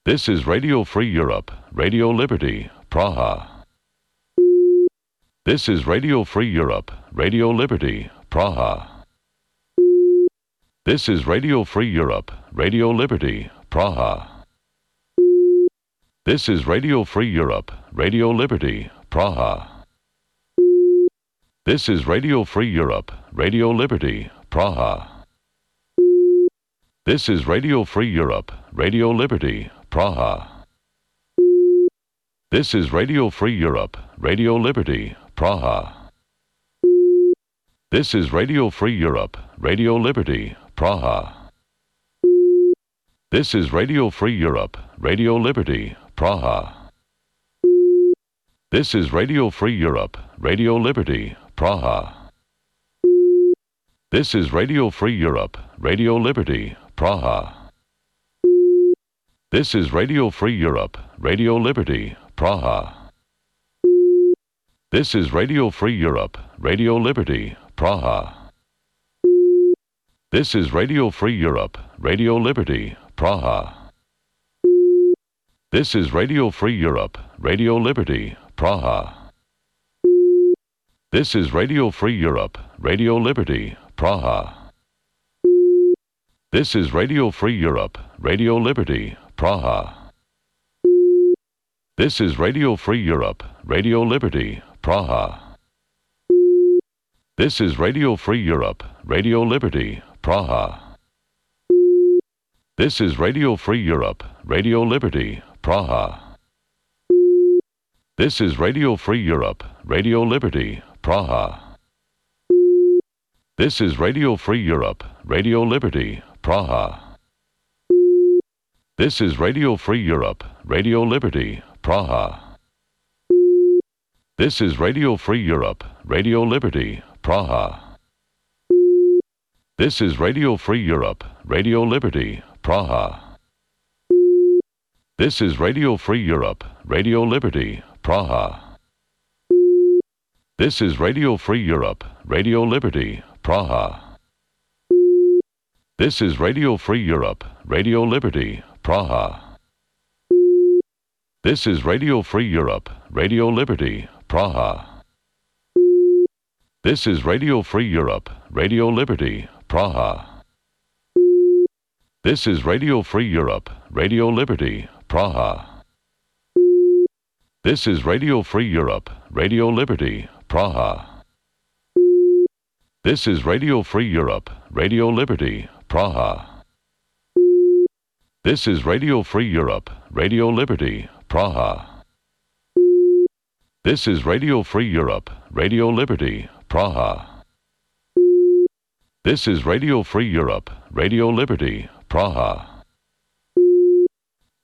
This is Radio Free Europe, Radio Liberty, Praha. This is Radio Free Europe, Radio Liberty, Praha. This is Radio Free Europe, Radio Liberty, Praha. This is Radio Free Europe, Radio Liberty, Praha. This is Radio Free Europe, Radio Liberty, Praha. This is Radio Free Europe, Radio Liberty, Praha. This is Radio Free Europe, Radio Liberty, Praha. This is Radio Free Europe, Radio Liberty, Praha. This is Radio Free Europe, Radio Liberty, Praha. This is Radio Free Europe, Radio Liberty, Praha. This is Radio Free Europe, Radio Liberty, Praha. This is Radio Free Europe, Radio Liberty, Praha. This is Radio Free Europe, Radio Liberty, Praha. This is Radio Free Europe, Radio Liberty, Praha. This is Radio Free Europe, Radio Liberty, Praha. This is Radio Free Europe, Radio Liberty, Praha. This is Radio Free Europe, Radio Liberty, Praha. This is Radio Free Europe, Radio Liberty, Praha. This is Radio Free Europe, Radio Liberty, Praha. This is Radio Free Europe, Radio Liberty, Praha. This is Radio Free Europe, Radio Liberty, Praha. This is Radio Free Europe, Radio Liberty, Praha. This is Radio Free Europe, Radio Liberty, Praha. This is Radio Free Europe, Radio Liberty, Praha. This is Radio Free Europe, Radio Liberty, Praha. This is Radio Free Europe, Radio Liberty, Praha. This is Radio Free Europe, Radio Liberty, Praha. This is Radio Free Europe, Radio Liberty, Praha. This is Radio Free Europe, Radio Liberty, Praha. This is Radio Free Europe, Radio Liberty, Praha. This is Radio Free Europe, Radio Liberty, Praha. This is Radio Free Europe, Radio Liberty, Praha. This is Radio Free Europe, Radio Liberty, Praha. This is Radio Free Europe, Radio Liberty, Praha. This is Radio Free Europe, Radio Liberty, Praha. This is Radio Free Europe, Radio Liberty, Praha.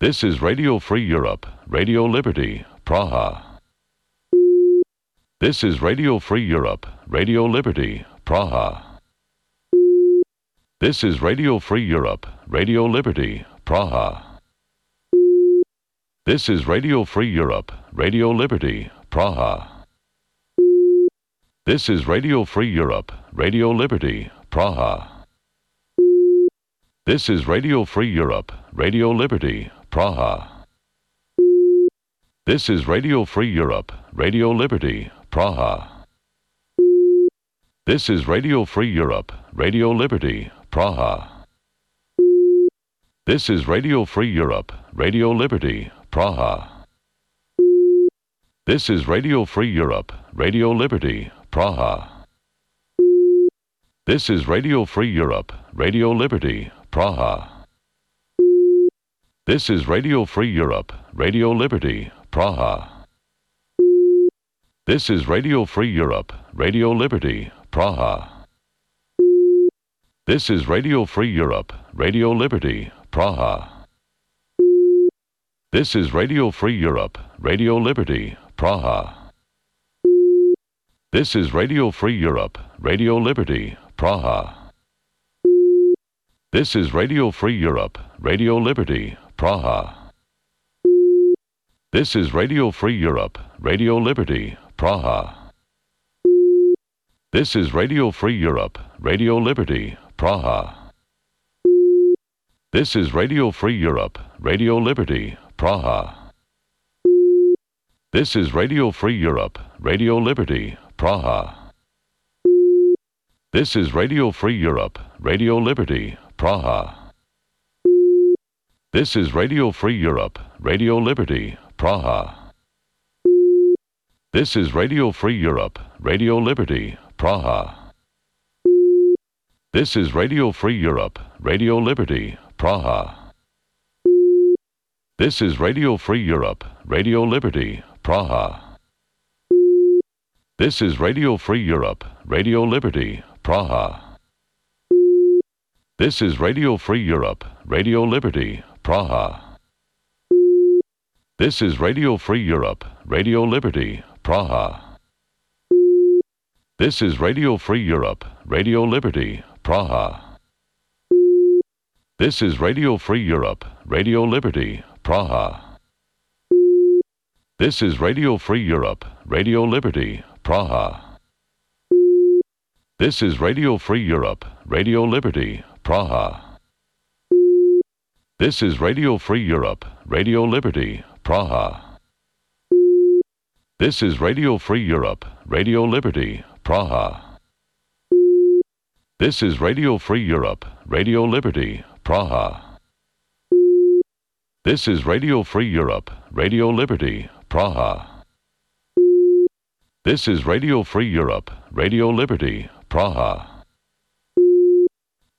This is Radio Free Europe, Radio Liberty, Praha. This is Radio Free Europe, Radio Liberty, Praha. This is Radio Free Europe, Radio Liberty, Praha. This is Radio Free Europe, Radio Liberty, Praha. This is Radio Free Europe, Radio Liberty, Praha. This is Radio Free Europe, Radio Liberty, Praha. This is Radio Free Europe, Radio Liberty, Praha. This is Radio Free Europe, Radio Liberty, Praha. This is Radio Free Europe, Radio Liberty, Praha. This is Radio Free Europe, Radio Liberty, Praha. This is Radio Free Europe, Radio Liberty, Praha. This is Radio Free Europe, Radio Liberty, Praha. This is Radio Free Europe, Radio Liberty, Praha. This is Radio Free Europe, Radio Liberty, Praha. This is Radio Free Europe, Radio Liberty, Praha. This is Radio Free Europe, Radio Liberty, Praha. This is Radio Free Europe, Radio Liberty, Praha. This is Radio Free Europe, Radio Liberty, Praha. This is Radio Free Europe, Radio Liberty, Praha. This is Radio Free Europe, Radio Liberty, Praha. This is Radio Free Europe, Radio Liberty, Praha. This is Radio Free Europe, Radio Liberty, Praha. This is Radio Free Europe, Radio Liberty, Praha. This is Radio Free Europe, Radio Liberty, Praha. This is Radio Free Europe, Radio Liberty, Praha. This is Radio Free Europe, Radio Liberty, Praha. This is Radio Free Europe, Radio Liberty, Praha. This is Radio Free Europe, Radio Liberty, Praha. This is Radio Free Europe, Radio Liberty, Praha. This is Radio Free Europe, Radio Liberty, Praha. This is Radio Free Europe, Radio Liberty, Praha. This is Radio Free Europe, Radio Liberty, Praha. This is Radio Free Europe, Radio Liberty, Praha. This is Radio Free Europe, Radio Liberty, Praha. This is Radio Free Europe, Radio Liberty, Praha. This is Radio Free Europe, Radio Liberty, Praha. This is Radio Free Europe, Radio Liberty, Praha. This is Radio Free Europe, Radio Liberty, Praha.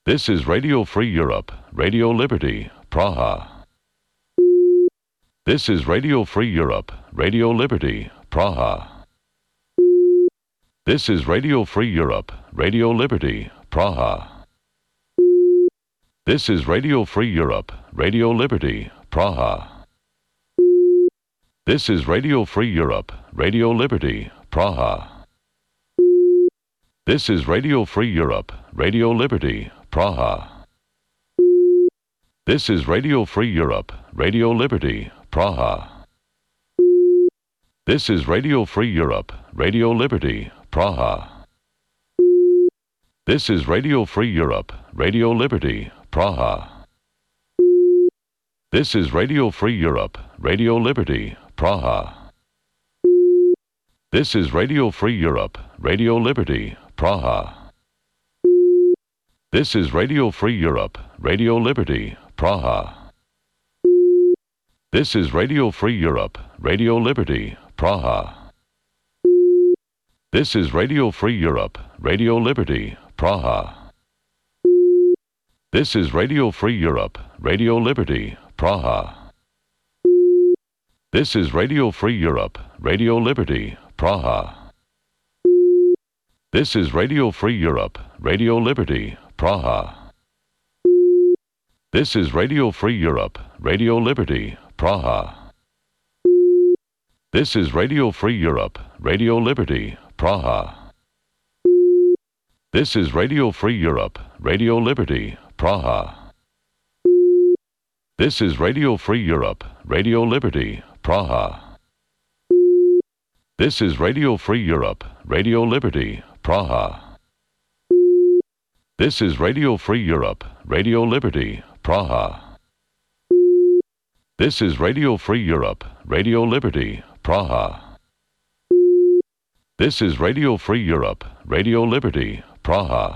This is Radio Free Europe, Radio Liberty, Praha. This is Radio Free Europe, Radio Liberty, Praha. This is Radio Free Europe, Radio Liberty, Praha. This is Radio Free Europe, Radio Liberty, Praha. This is Radio Free Europe, Radio Liberty, Praha. This is Radio Free Europe, Radio Liberty, Praha. This is Radio Free Europe, Radio Liberty, Praha. This is Radio Free Europe, Radio Liberty, Praha. This is Radio Free Europe, Radio Liberty, Praha. This is Radio Free Europe, Radio Liberty, Praha. This is Radio Free Europe, Radio Liberty, Praha. This is Radio Free Europe, Radio Liberty, Praha. This is Radio Free Europe, Radio Liberty, Praha. This is Radio Free Europe, Radio Liberty, Praha. This is Radio Free Europe, Radio Liberty, Praha. This is Radio Free Europe, Radio Liberty, Praha. This is Radio Free Europe, Radio Liberty, Praha. This is Radio Free Europe, Radio Liberty, Praha. This is Radio Free Europe, Radio Liberty, Praha. This is Radio Free Europe, Radio Liberty, Praha. This is Radio Free Europe, Radio Liberty, Praha. This is Radio Free Europe, Radio Liberty, Praha. This is Radio Free Europe, Radio Liberty, Praha. This is Radio Free Europe, Radio Liberty, Praha.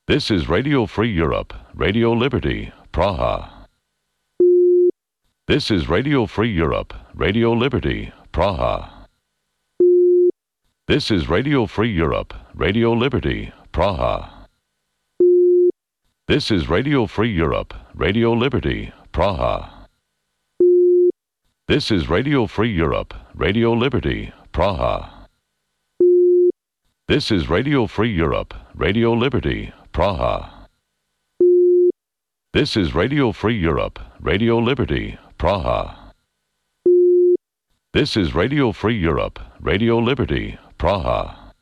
This is Radio Free Europe, Radio Liberty, Praha. This is Radio Free Europe, Radio Liberty, Praha. This is Radio Free Europe, Radio Liberty, Praha. This is Radio Free Europe, Radio Liberty, Praha. This is Radio Free Europe, Radio Liberty, Praha. This is Radio Free Europe, Radio Liberty, Praha. This is Radio Free Europe, Radio Liberty, Praha. This is Radio Free Europe, Radio Liberty, Praha. This is Radio Free Europe, Radio Liberty, Praha.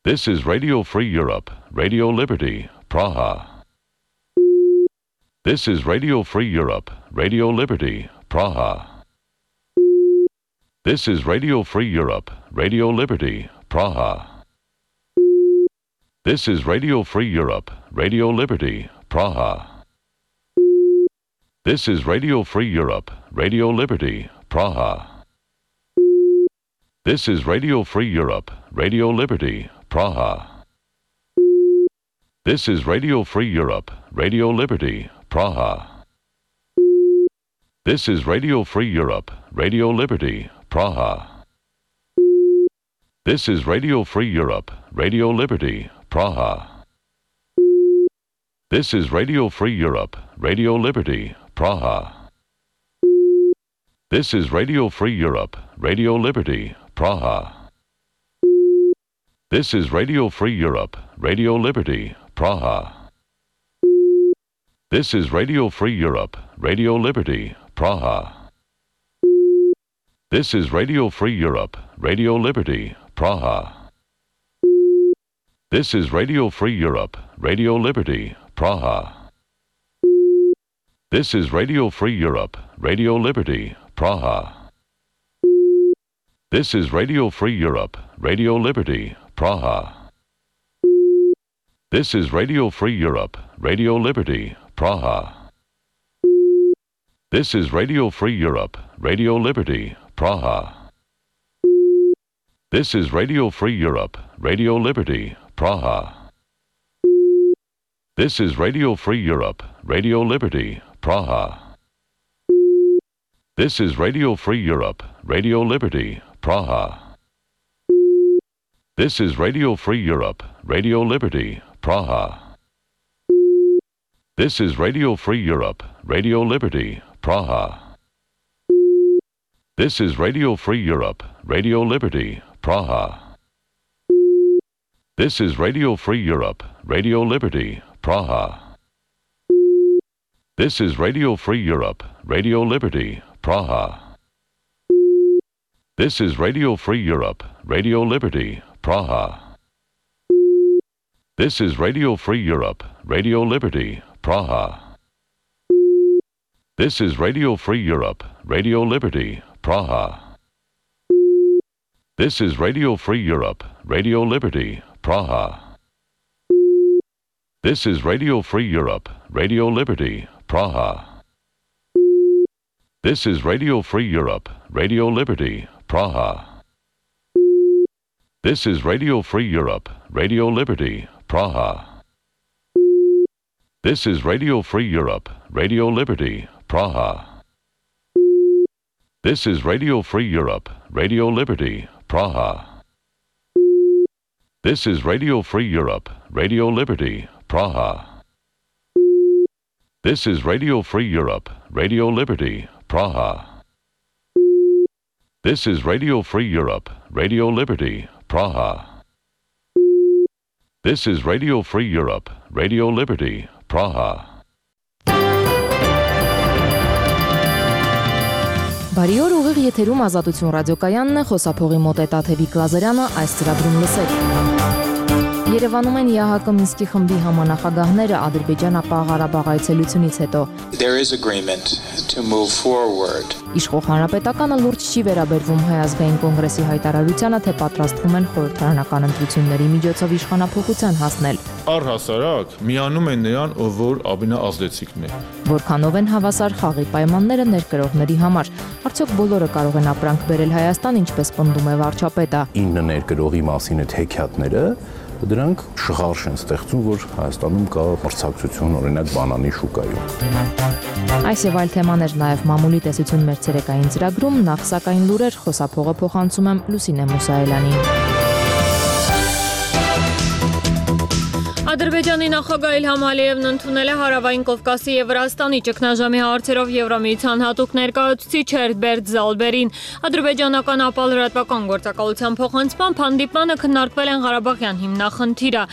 This is Radio Free Europe, Radio Liberty, Praha. This is Radio Free Europe, Radio Liberty, Praha. This is Radio Free Europe, Radio Liberty, Praha. This is Radio Free Europe, Radio Liberty, Praha. This is Radio Free Europe, Radio Liberty, Praha. This is Radio Free Europe, Radio Liberty, Praha. This is Radio Free Europe, Radio Liberty, Praha. This is Radio Free Europe, Radio Liberty, Praha. This is Radio Free Europe, Radio Liberty, Praha. This is Radio Free Europe, Radio Liberty, Praha. This is Radio Free Europe, Radio Liberty, Praha. This is Radio Free Europe, Radio Liberty, Praha. This is Radio Free Europe, Radio Liberty, Praha. This is Radio Free Europe, Radio Liberty, Praha. This is Radio Free Europe, Radio Liberty, Praha. This is Radio Free Europe, Radio Liberty, Praha. This is Radio Free Europe, Radio Liberty, Praha. This is Radio Free Europe, Radio Liberty, Praha. This is Radio Free Europe, Radio Liberty, Praha. This is Radio Free Europe, Radio Liberty, Praha. This is Radio Free Europe, Radio Liberty, Praha. This is Radio Free Europe, Radio Liberty, Praha. This is Radio Free Europe, Radio Liberty, Praha. This is Radio Free Europe, Radio Liberty, Praha. This is Radio Free Europe, Radio Liberty, Praha. This is Radio Free Europe, Radio Liberty, Praha. This is Radio Free Europe, Radio Liberty, Praha. This is Radio Free Europe, Radio Liberty, Praha. This is Radio Free Europe, Radio Liberty, Praha. This is Radio Free Europe, Radio Liberty, Praha. This is Radio Free Europe, Radio Liberty, Praha. This is Radio Free Europe, Radio Liberty, Praha. This is Radio Free Europe, Radio Liberty, Praha. This is Radio Free Europe, Radio Liberty, Praha. This is Radio Free Europe, Radio Liberty, Praha. This is Radio Free Europe, Radio Liberty, Praha. This is Radio Free Europe, Radio Liberty, Praha. This is Radio Free Europe, Radio Liberty, Praha. This is Radio Free Europe, Radio Liberty, Praha. This is Radio Free Europe, Radio Liberty, Praha. Բարի օր, ուղիղ եթերում Ազատություն ռադիոկայանն է, խոսափողի մոտ է Տաթևիկ Լազարյանը, այս ծրագրում լսեք։ Երևանում են ԵԱՀԿ Մինսկի խմբի համանախագահները Ադրբեջան-Ղարաբաղ Ղարաբաղ այցելությունից հետո։ There is agreement to move forward. Իշխող հանրապետականը լուրջ չի վերաբերվում Հայ ազգային կոնգրեսի հայտարարությանը, թե պատրաստվում են խորհրդարանական ընտրությունների միջոցով իշխանափոխության հասնել։ Առհասարակ միանում են նրան, ով որ ամենաազդեցիկն է։ Որքանով են հավասար խաղի պայմանները ներկրողների համար։ Արդյոք բոլորը կարող են ապրանք բերել Հայաստան, ինչպես պնդում է վարչապետը։ 9 ներկրողի մասին այդ հեքիաթները դրանք շղարշ են ստեղծում, որ Հայաստանում կա մրցակցություն օրինակ բանանի շուկայում։ Այս եւ այլ թեմաներ նաեւ մամուլի տեսություն մեր ցերեկային ծրագրում, նախ սակայն լուրեր խոսափողը փոխանցում եմ Լուսինե Մուսայելյանին։ Ադրբեջանի նախագահ Իլհամ Ալիևն ընդունել է Հարավային Կովկասի եւ Վրաստանի ճգնաժամի հարցերով Եվրամիության հատուկ ներկայացուցիչ Հերբերտ Զալբերին։ Ադրբեջանական ապահովական գործակալության փոխանցմամբ հանդիպմանը քննարկվել են Ղարաբաղյան հիմնախնդիրը։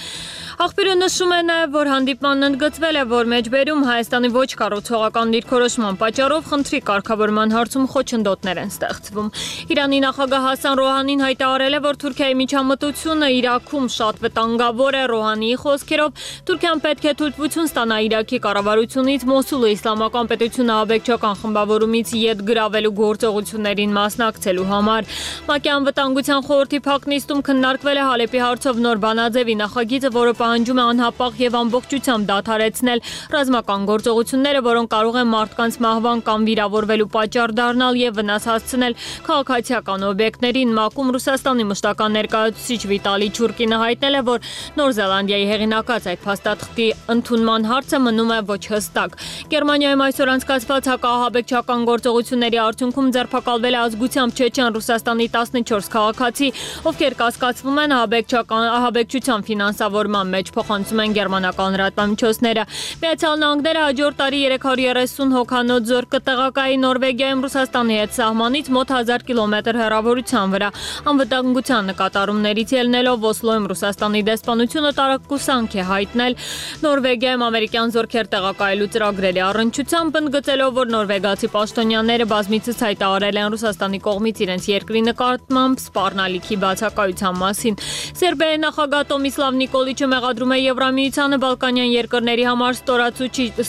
Աղբյուրը նշում է նաև, որ հանդիպմանն ընդգծվել է, որ մեջբերում Հայաստանի ոչ կառուցողական դիրքորոշման պատճառով խնդրի կարգավորման հարցում խոչընդոտներ են ստեղծվում։ Իրանի նախագահ Հասան Ռոհանին հայտարարել է, որ Թուրքիայի միջամտությունը Իրաքում շատ վտանգավոր է։ Ռոհանիի խոսքերով Թուրքիան պետք է թույլտվություն ստանա Իրաքի կառավարությունից Մոսուլը իսլամական պետությունը աբեկչական խմբավորումից ետ գրավելու գործողություններին մասնակցելու համար։ ՄԱԿ-ի անվտանգության խորհրդի փակ նիստում քննարկվել է Հալեպի հարցով նոր բանաձևի նախագիծը, որը պահանջում է անհապաղ եւ ամբողջությամբ դադարեցնել ռազմական գործողությունները, որոնք կարող են մարդկանց մահվան կամ վիրավորվելու պատճառ դառնալ եւ վնաս հասցնել քաղաքացիական օբյեկտներին։ ՄԱԿ-ում Ռուսաստանի մշտական ներկայացուցիչ Վիտալի Չուրկինը հայտնել է, որ Նոր Զելանդիայի հեղինակած այդ փաստաթղթի ընդունման հարցը մնում է ոչ հստակ։ Գերմանիայում այսօր անցկացված հակաահաբեկչական գործողությունների արդյունքում ձերբակալվել է ազգությամբ չեչեն Ռուսաստանի 14 քաղաքացի, ովքեր կասկածվում են ահաբեկչության ֆինանսավորման մեջ, փոխանցում են գերմանական լրատվամիջոցները։ Միացյալ Նահանգները հաջորդ տարի 330 հոգանոց զորք կտեղակայի Նորվեգիայում Ռուսաստանի հետ սահմանից մոտ 1000 կիլոմետր հեռավորության վրա։ Անվտանգության նկատառումներից ելնելով Օսլոյում Ռուսաստանի դեսպանությունը տարակուսանք է հայտնել Նորվեգիայում ամերիկյան զորքեր տեղակայելու ծրագրերի առնչությամբ, ընդգծելով, որ նորվեգացի պաշտոնյաները բազմիցս հայտարարել են Ռուսաստանի կողմից իրենց երկրի նկատմամբ սպառնալիքի բացակայության մասին։ Սերբիայի նախագահ Տոմիսլավ Նիկոլիչը մեղադրում է Եվրամիությանը Բալկանյան երկրների համար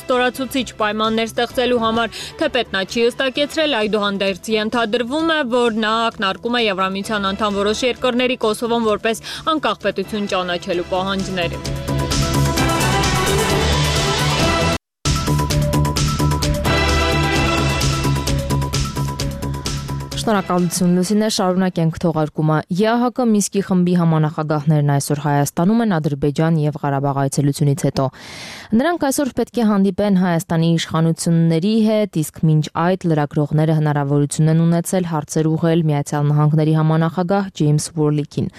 ստորացուցիչ պայմաններ ստեղծելու համար, թեպետ նա չի հստակեցրել, այդուհանդերձ ենթադրվում է, որ նա ակնարկում է Եվրամիության անդամ որոշ երկրների Կոսովոն որպես անկախ պետություն ճանաչելու պահանջները։ Շնորհակալություն Լուսինե, շարունակենք թողարկումը։ ԵԱՀԿ Մինսկի խմբի համանախագահներն այսօր Հայաստանում են Ադրբեջան եւ Ղարաբաղ այցելությունից հետո։ Նրանք այսօր պետք է հանդիպեն Հայաստանի իշխանությունների հետ, իսկ մինչ այդ լրագրողները հնարավորություն են ունեցել հարցեր ուղղել Միացյալ Նահանգների համանախագահ Ջեյմս Ուորլիքին։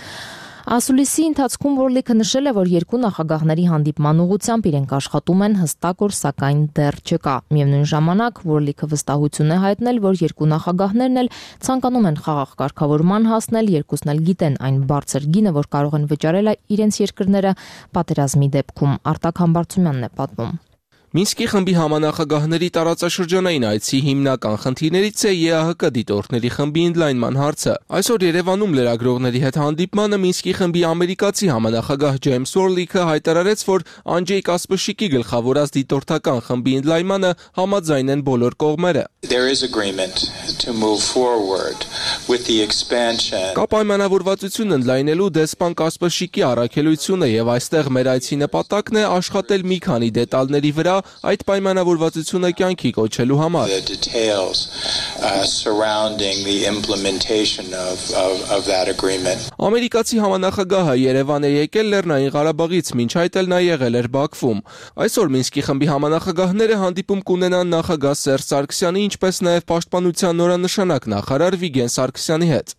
Ասուլիսի ընթացքում Ուորլիքը նշել է, որ երկու նախագահների հանդիպման ուղղությամբ իրենք աշխատում են, հստակ օր սակայն դեռ չկա։ Միևնույն ժամանակ Ուորլիքը վստահություն է հայտնել, որ երկու նախագահներն էլ ցանկանում են խաղաղ կարգավորման հասնել, երկուսն էլ գիտեն այն բարձր գինը, որ կարող են վճարել իրենց երկրները պատերազմի դեպքում։ Արտակ Համբարձումյանն է պատմում։ Մինսկի խմբի համանախագահների տարածաշրջանային այցի հիմնական խնդիրներից է ԵԱՀԿ դիտորդների խմբի ընդլայնման հարցը։ Այսօր Երևանում լրագրողների հետ հանդիպմանը Մինսկի խմբի ամերիկացի համանախագահ Ջեյմս Ուորլիքը հայտարարեց, որ Անջեյ Կասպրշիկի գլխավորած դիտորդական խմբի ընդլայնմանը համաձայն են բոլոր կողմերը։ There is agreement to move forward with the expansion. Կա պայմանավորվածություն ընդլայնելու դեսպան Կասպրշիկի առաքելությունը եւ այստեղ մեր այցի նպատակն է աշխատել մի քանի դետալների վրա այդ պայմանավորվածությունը կյանքի կոչելու համար։ The details surrounding the implementation of that agreement. Ամերիկացի համանախագահը Երևան է եկել Լեռնային Ղարաբաղից, մինչ այդ էլ նա եղել էր Բաքվում։ Այսօր Մինսկի խմբի համանախագահները հանդիպում կունենան նախագահ Սերժ Սարգսյանի, ինչպես նաև պաշտպանության նորանշանակ նախարար Վիգեն Սարգսյանի հետ։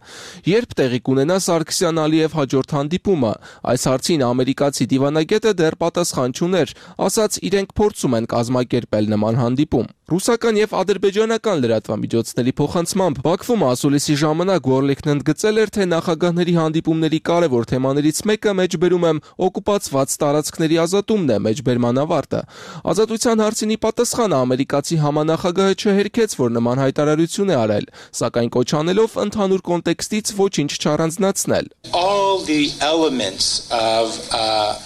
Երբ տեղի կունենա Սարգսյան-Ալիև հաջորդ հանդիպումը, այս հարցին ամերիկացի դիվանագետը դեռ պատասխան չուներ, ասաց իրենք փորձում են կազմակերպել նման հանդիպում։ Ռուսական եւ ադրբեջանական լրատվամիջոցների փոխանցմամբ Բաքվում ասուլիսի ժամանակ Ուորլիքն ընդգծել էր, թե նախագահների հանդիպումների կարևոր թեմաներից մեկը մեջբերում եմ օկուպացված տարածքների ազատումն է, մեջբերման ավարտը։ Ազատության հարցինի պատասխանը ամերիկացի համանախագահը չհերքեց, որ նման հայտարարություն է արել, սակայն կոչ անելով ընդհանուր կոնտեքստից ոչինչ չառանձնացնել։ All the elements of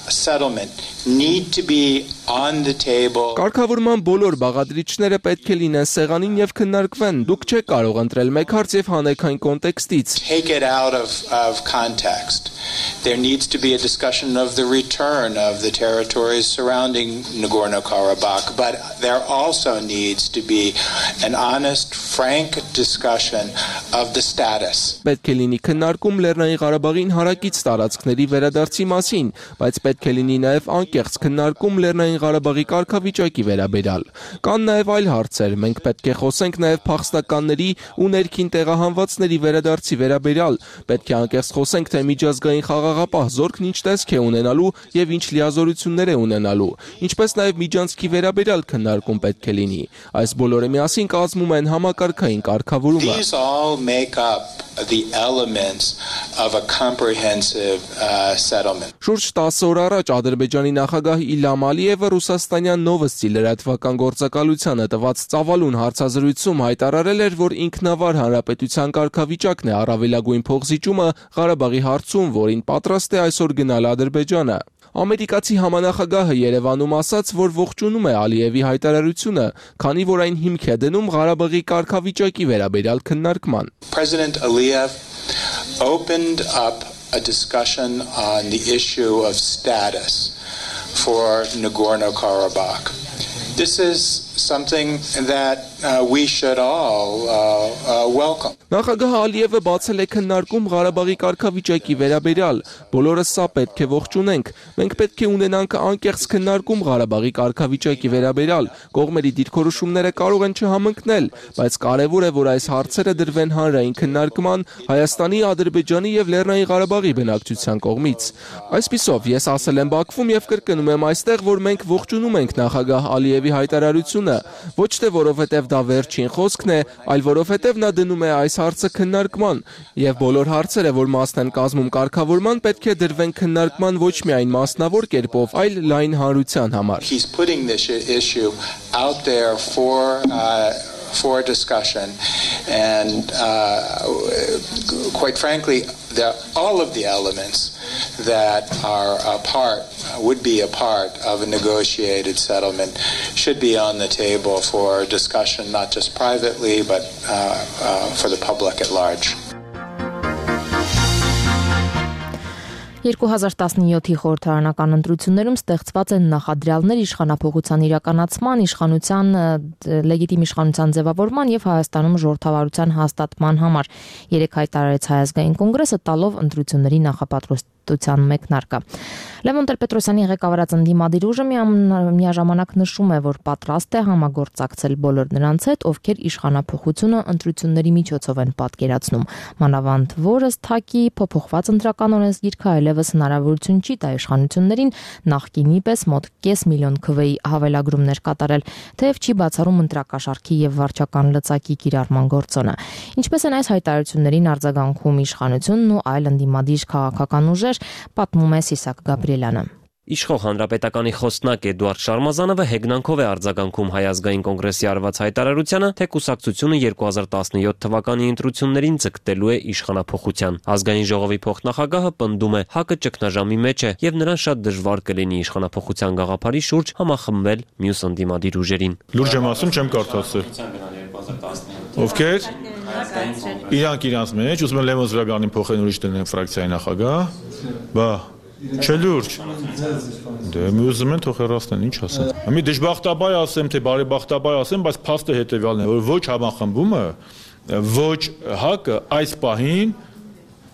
settlement need to be on the table. Կարգավորման բոլոր բաղադրիչները պետք է լինեն սեղանին եւ քննարկվեն։ Դուք չեք կարող ընտրել մեկ հարց եւ հանեք այն կոնտեքստից։ Take it out of context. There needs to be a discussion of the return of the territories surrounding Nagorno-Karabakh, but there also needs to be an honest, frank discussion of the status. Պետք է լինի քննարկում Լեռնային Ղարաբաղին հարակից տարածքների վերադարձի մասին, բայց պետք է լինի նաև անկեղծ քննարկում Լեռնային Ղարաբաղի կարգավիճակի վերաբերյալ։ Կան նաև այլ հարցեր, մենք պետք է խոսենք նաև փախստականների ու ներքին տեղահանվածների վերադարձի վերաբերյալ, պետք է անկեղծ խոսենք, թե միջազգային խաղաղապահ զորքն ինչ տեսք է ունենալու եւ ինչ լիազորություններ է ունենալու, ինչպես նաև միջանցքի վերաբերյալ քննարկում պետք է լինի։ Այս բոլորը միասին կազմում են համակարգային կարգավորումը։ These all make up the elements of a comprehensive settlement. Շուրջ 10 օր առաջ Ադրբեջանի նախագահ Իլհամ Ալիևը ռուսաստանյան Նովոստի լրատվական գործակալությանը տված ծավալուն հարցազրույցում հայտարարել էր, որ ինքնավար հանրապետության կարգավիճակն է առավելագույն փոխզիջումը Ղարաբաղի հարցում, որին պատրաստ է այսօր գնալ Ադրբեջանը։ Ամերիկացի համանախագահը Երևանում ասաց, որ ողջունում է Ալիևի հայտարարությունը, քանի որ այն հիմք է դնում Ղարաբաղի կարգավիճակի վերաբերյալ քննարկման։ President Aliyev opened up a discussion on the issue of status for Nagorno-Karabakh. This is something that we should all welcome. Նախագահ Ալիևը բացել է քննարկում Ղարաբաղի կարգավիճակի վերաբերյալ։ Բոլորս սա պետք է ողջունենք։ Մենք պետք է ունենանք անկեղծ քննարկում Ղարաբաղի կարգավիճակի վերաբերյալ։ Կողմերի դիրքորոշումները կարող են չհամընկնել, բայց կարևոր է, որ այս հարցերը դրվեն հանրային քննարկման Հայաստանի, Ադրբեջանի եւ Լեռնային Ղարաբաղի բնակչության կողմից։ Այսպիսով, ես ասել եմ Բաքվում եւ կրկնում եմ այստեղ, որ մենք ողջունում ենք նախագահ Ալիևի հայտարարությունը, ոչ թե որովհետեւ դա վերջին խոսքն է, այլ որովհետեւ նա դնում է այս հարցը քննարկման եւ բոլոր հարցերը, որ մասն են կազմում կարգավորման, պետք է դրվեն քննարկման ոչ միայն մասնավոր կերպով, այլ լայն հանրության համար։ He's putting this issue out there for discussion, and quite frankly, all of the elements that are would be a part of a negotiated settlement should be on the table for discussion, not just privately, but for the public at large. 2017-ի խորհրդարանական ընտրություններում ստեղծված են նախադրյալներ իշխանափոխության իրականացման, լեգիտիմ իշխանության ձևավորման եւ Հայաստանում ժողովրդավարության հաստատման համար։ Երեք հայտարարեց Հայ ազգային կոնգրեսը, տալով ընտրությունների նախապատրաստության մեկնարկը։ Լևոն Տեր-Պետրոսյանի ղեկավարած ընդդիմադիր ուժը միաժամանակ նշում է, որ պատրաստ է համագործակցել բոլոր նրանց հետ, ովքեր իշխանափոխությունը ընտրությունների միջոցով են պատկերացնում։ Մանավանդ որը թակի փոփոխված ընտրական օրենսգիրքը այլևս հնարավորություն չի տա իշխանություններին նախկինի պես մոտ 500,000 քվեի հավելագրումներ կատարել, թեև չի բացառում ընտրակաշառքի եւ վարչական լծակի կիրառման գործոնը։ Ինչպես են այս հայտարարություններին արձագանքում իշխանությունն ու այլ ընդդիմադիր քաղաքական ուժեր, պատմում է Սիսակ Գաբրիելյանը։ Իշխող հանրապետականի խոսնակ Էդուարդ Շարմազանովը հեգնանքով է արձագանքում Հայ ազգային կոնգրեսի արված հայտարարությանը, թե կուսակցությունը 2017 թվականի ընտրություններին ձգտելու է իշխանափոխության։ Ազգային ժողովի փոխնախագահը պնդում է, ՀԱԿ-ը ճգնաժամի մեջ է եւ նրան շատ դժվար կլինի իշխանափոխության գաղափարի շուրջ համախմբել մյուս ընդդիմադիր ուժերին։ Լուրջ եմ ասում, չեմ կարդացել։ Ովքեր իրանք իրանց մեջ ուզում են Լևոն Զուրաբյանին փոխեն ուրիշ դնեն ֆրակցիայի նախագահ, բա չէ լուրջ։ Դե մի ուզում են թող հեռացնեն, ինչ ասեն։ Մի դժբախտաբար ասեմ, թե բարեբախտաբար ասեմ, բայց փաստը հետեւյալն է, որ ոչ համախմբումը, ոչ ՀԱԿ-ը այս պահին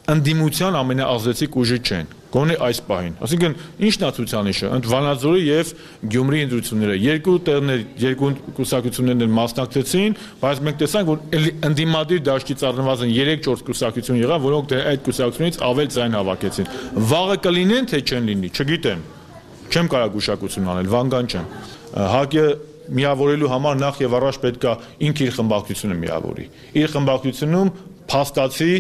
ընդդիմության ամենաազդեցիկ ուժը չեն։ Գոնե այս պահին։ Այսինքն ինչն է ցուցանիշը։ Ընդ Վանաձորի եւ Գյումրի ընտրությունները երկու կուսակցություններն մասնակցեցին, բայց մենք տեսանք, որ ընդդիմադիր դաշտից առնվազն 3-4 կուսակցություն եղան, որոնք այդ կուսակցությունից ավել ձայն հավաքեցին։ Վաղը կլինեն, թե չեն լինի, չգիտեմ։ Չեմ կարող գուշակություն անել, վանգան չեմ։ ՀԱԿ-ը միավորելու համար նախ եւ առաջ պետք է ինքը իր խմբակցությունը միավորի։ Իր խմբակցությունում փաստացի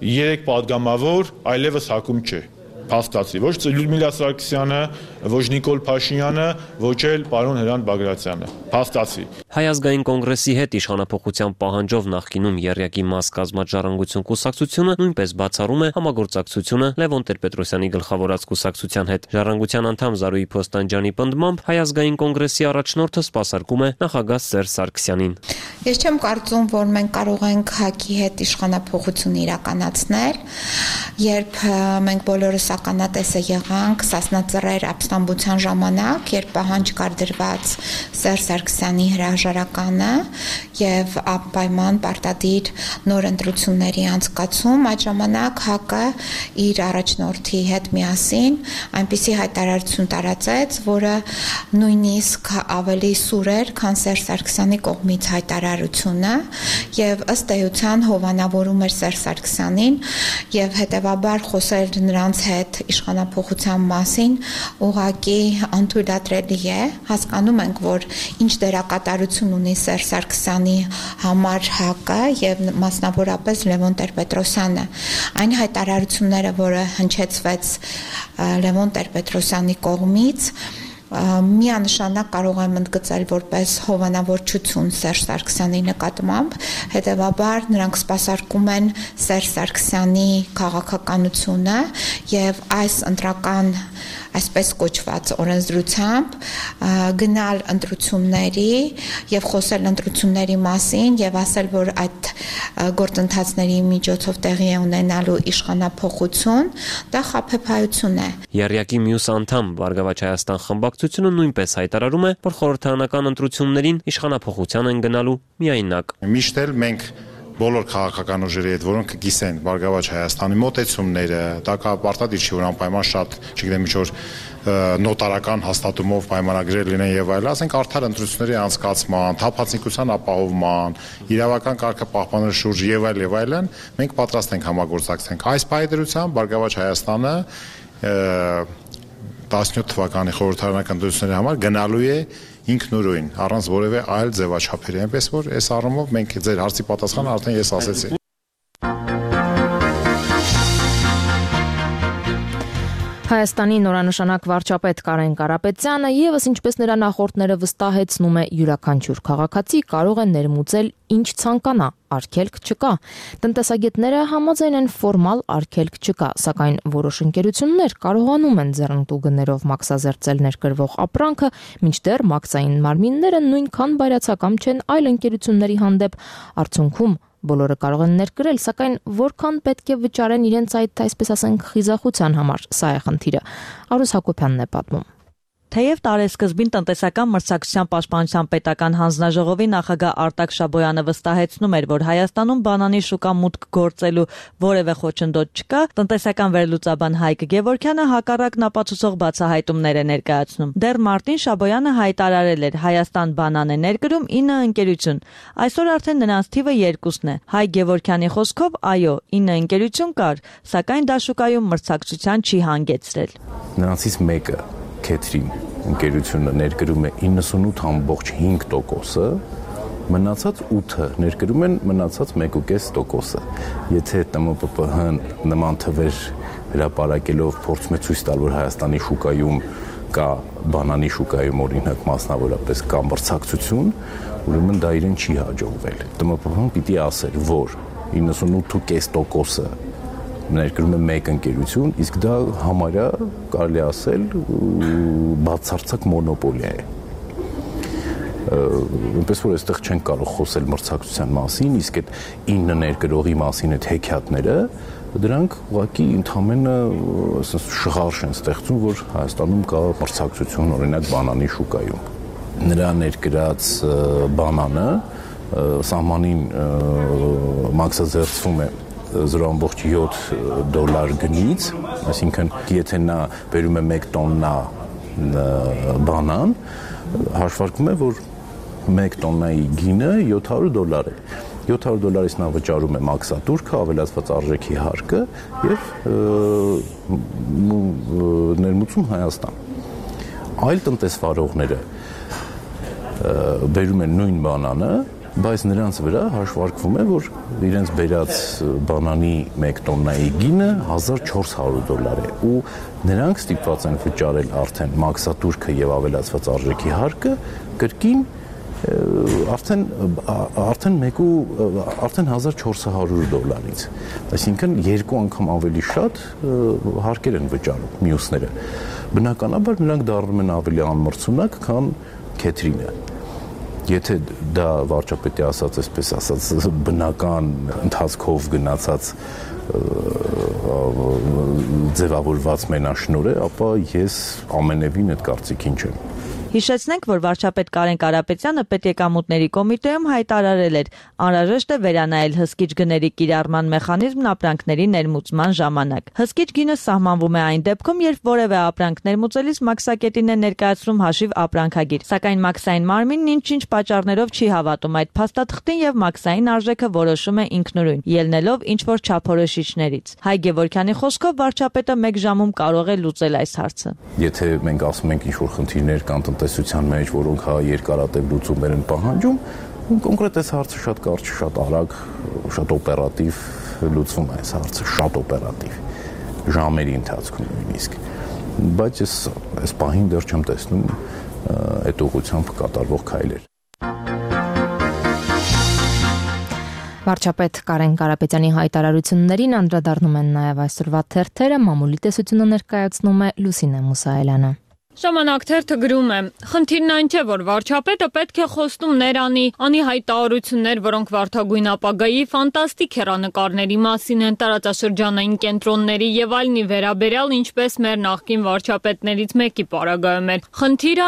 3 падգամավոր այլևս ՀԱԿ-ում չէ։ Փաստացի, ոչ Լյուդմիլա Սարգսյանը, ոչ Նիկոլ Փաշինյանը, ոչ էլ պարոն Հրանտ Բագրատյանը։ Փաստացի։ Հայ ազգային կոնգրեսի հետ իշխանափոխության պահանջով նախկինում եռյակի մաս կազմած Ժառանգություն կուսակցությունը նույնպես բացառում է համագործակցությունը Լևոն Տեր-Պետրոսյանի գլխավորած կուսակցության հետ։ Ժառանգության անդամ Զարուհի Փոստանջյանի պնդմամբ Հայ ազգային կոնգրեսի առաջնորդը սպասարկում է նախագահ Սերժ Սարգսյանին։ Ես չեմ կարծում, որ մենք կարող ենք ՀԱԿ-ի հետ իշխանափոխություն իրականացնել, երբ մենք բոլորս ականատեսը եղանք Սասնածռեր ապստամբության ժամանակ, երբ պահանջ կար դրված Սերժ Սարգսյանի հրաժարականը եւ անպայման պարտադիր նոր ընտրությունների անցկացում, այդ ժամանակ ՀԱԿ-ը իր առաջնորդի հետ միասին այնպիսի հայտարարություն տարածեց, որը նույնիսկ ավելի սուր էր, քան Սերժ Սարգսյանի կողմից հայտարարությունը եւ ըստ էության հովանավորում էր Սերժ Սարգսյանին եւ հետեւաբար խոսել նրանց հետ իշխանափոխության մասին ուղղակի անթույլատրելի է։ Հասկանում ենք, որ ինչ դերակատարություն ունի Սերժ Սարգսյանի համար ՀԱԿ-ը եւ մասնավորապես Լևոն Տեր-Պետրոսյանը։ Այն հայտարարությունները, որը հնչեցվեց Լևոն Տեր-Պետրոսյանի կողմից, միանշանակ կարող եմ ընդգծել որպես հովանավորչություն Սերժ Սարգսյանի նկատմամբ, հետևաբար նրանք սպասարկում են Սերժ Սարգսյանի քաղաքականությունը եւ այս ընտրական այսպես կոչված օրենսդրությամբ գնալ ընտրությունների եւ խոսել ընտրությունների մասին եւ ասել, որ այդ գործընթացների միջոցով տեղի է ունենալու իշխանափոխություն, դա խաբեբայություն է։ Եռյակի մյուս անդամ Բարգավաճ Հայաստան խմբակցությունը նույնպես հայտարարում է, որ խորհրդարանական ընտրություններին իշխանափոխության են գնալու միայնակ։ Միշտ էլ մենք բոլոր քաղաքական ուժերի հետ, որոնք կիսեն Բարգավաճ Հայաստանի մոտեցումները, դա պարտադիր չի, որ անպայման շատ, չգիտեմ, ինչ որ նոտարական հաստատումով պայմանագրեր լինեն եւ այլն, ասենք արդար ընտրությունների անցկացման, թափանցիկության ապահովման, իրավական կարգը պահպանելու շուրջ եւ այլն, մենք պատրաստ ենք համագործակցենք։ Այս պայմանությամբ Բարգավաճ Հայաստանը 17 թվականի խորհրդարանական ընտրությունների համար գնալու է ինքնուրույն, առանց որևէ այլ ձևաչափերի, այնպես որ այս առումով մենք ձեր հարցի պատասխանը արդեն ես ասեցի։ Հայաստանի նորանշանակ վարչապետ Կարեն Կարապետյանը եւս ինչպես նրա նախորդները վստահեցնում է, յուրաքանչյուր քաղաքացի կարող է ներմուծել ինչ ցանկանա, արգելք չկա։ Տնտեսագետները համաձայն են ֆորմալ արգելք չկա, սակայն որոշ ընկերություններ կարողանում են ձեռնտու գներով մաքսազերծել ներկրվող ապրանքը, մինչդեռ մաքսային մարմինները նույնքան բայրացակամ չեն այլ ընկերությունների հանդեպ, արդյունքում բոլորը կարող են ներկրել, սակայն որքան պետք է վճարեն իրենց այդ, այսպես ասենք, խիզախության համար, սա է խնդիրը։ Արուս Հակոբյանն է պատմում։ Թեև տարեսկզբին տնտեսական մրցակցության պաշտպանության պետական հանձնաժողովի նախագահ Արտակ Շաբոյանը վստահեցնում էր, որ Հայաստանում բանանի շուկա մուտք գործելու որևէ խոչընդոտ չկա, տնտեսական վերլուծաբան Հայկ Գևորգյանը հակառակն ապացուցող բացահայտումներ է ներկայացնում։ Դեռ մարտին Շաբոյանը հայտարարել էր Հայաստան բանան է ներկրում 9 ընկերություն։ Այսօր արդեն նրանց թիվը 2-ն է։ Հայկ Գևորգյանի խոսքով, այո, 9 ընկերություն կար, սակայն դա շուկայում մրցակցության չի հանգեցրել։ Նրանցից մեկը Քեթրին ընկերությունը ներկրում է 98.5%-ը, մնացած 8-ը ներկրում են մնացած 1.5%-ը։ Եթե ՏՄՊՊՀ-ն նման թվեր հրապարակելով փորձում է ցույց տալ, որ Հայաստանի շուկայում կա բանանի շուկայում օրինակ մասնավորապես կա մրցակցություն, ուրեմն դա իրեն չի հաջողվել։ ՏՄՊՊՀ-ն պիտի ասեր, որ 98.5%-ը ներկրում է մեկ ընկերություն, իսկ դա համարյա կարելի ասել բացարձակ մոնոպոլիա է։ Այնպես որ այստեղ չեն կարող խոսել մրցակցության մասին, իսկ այդ 9 ներկրողի մասին այդ հեքիաթները, դրանք ուղղակի ընդհանրապես ասես շղարշ են ստեղծում, որ Հայաստանում կա մրցակցություն օրինակ բանանի շուկայում։ Նրա ներկրած բանանը սահմանին մաքսազերծվում է $0.7 գնից, այսինքն եթե նա բերում է 1 տոննա բանան, հաշվարկվում է, որ 1 տոննայի գինը $700 է։ $700-ից նա վճարում է մաքսատուրքը, ավելացված արժեքի հարկը եւ ներմուծում Հայաստան։ Այլ տնտեսվարողները բերում են նույն բանանը, բայց նրանց վրա հաշվարկվում է, որ իրենց բերած բանանի 1 տոննայի գինը $1400 է ու նրանք ստիպված են վճարել արդեն մաքսատուրքը եւ ավելացված արժեքի հարկը կրկին արդեն $1400-ից, այսինքն 2 անգամ ավելի շատ հարկեր են վճարում մյուսները։ Բնականաբար նրանք դառնում են ավելի անմրցունակ, քան Քեթրինը։ Եթե դա վարչապետի ասած, այսպես ասած, բնական ընթացքով գնացած ձևավորված մենաշնորհ է, ապա ես ամենևին այդ կարծիքին չեմ։ Հիշեցնենք, որ վարչապետ Կարեն Կարապետյանը պետեկամուտների կոմիտեում հայտարարել էր, անհրաժեշտ է վերանայել հսկիչ գների կիրառման մեխանիզմն ապրանքների ներմուծման ժամանակ։ Հսկիչ գինը սահմանվում է այն դեպքում, երբ որևէ ապրանք ներմուծելիս մաքսակետին է ներկայացնում հաշիվ ապրանքագիր, սակայն մաքսային մարմինն ինչ-ինչ պատճառներով չի հավատում այդ փաստաթղթին եւ մաքսային արժեքը որոշում է ինքնուրույն, ելնելով ինչ-որ չափորոշիչներից։ Հայկ Գևորգյանի խոսքով վարչապետը 1 ժամում կարող է լուծել այս հարցը։ Եթե մենք ասում ենք ինչ-որ խնդիրներ կան տնտեսության մեջ, որոնք երկարատև լուծումներ են պահանջում, կոնկրետ այս հարցը շատ կարճ, շատ արագ, շատ օպերատիվ լուծվում է այս հարցը, շատ օպերատիվ, ժամերի ընթացքում նույնիսկ։ Բայց այս պահին դեռ չեմ տեսնում այդ ուղղությամբ կատարվող քայլեր։ Վարչապետ Կարեն Կարապետյանի հայտարարություններին անդրադառնում են նաև այսօրվա թերթերը, մամուլի տեսությունը ներկայացնում է Լուսինե Մուսայելյանը։ Ժամանակ թերթը գրում է. խնդիրն այն չէ, որ վարչապետը պետք է խոստում ներանի, անի հայտարարություններ, որոնք վարդագույն ապագայի ֆանտաստիկ հեռանկարների մասին են, տարածաշրջանային կենտրոնների եւ այլնի վերաբերյալ, ինչպես մեր նախկին վարչապետներից մեկի պարագայում էր։ Խնդիրը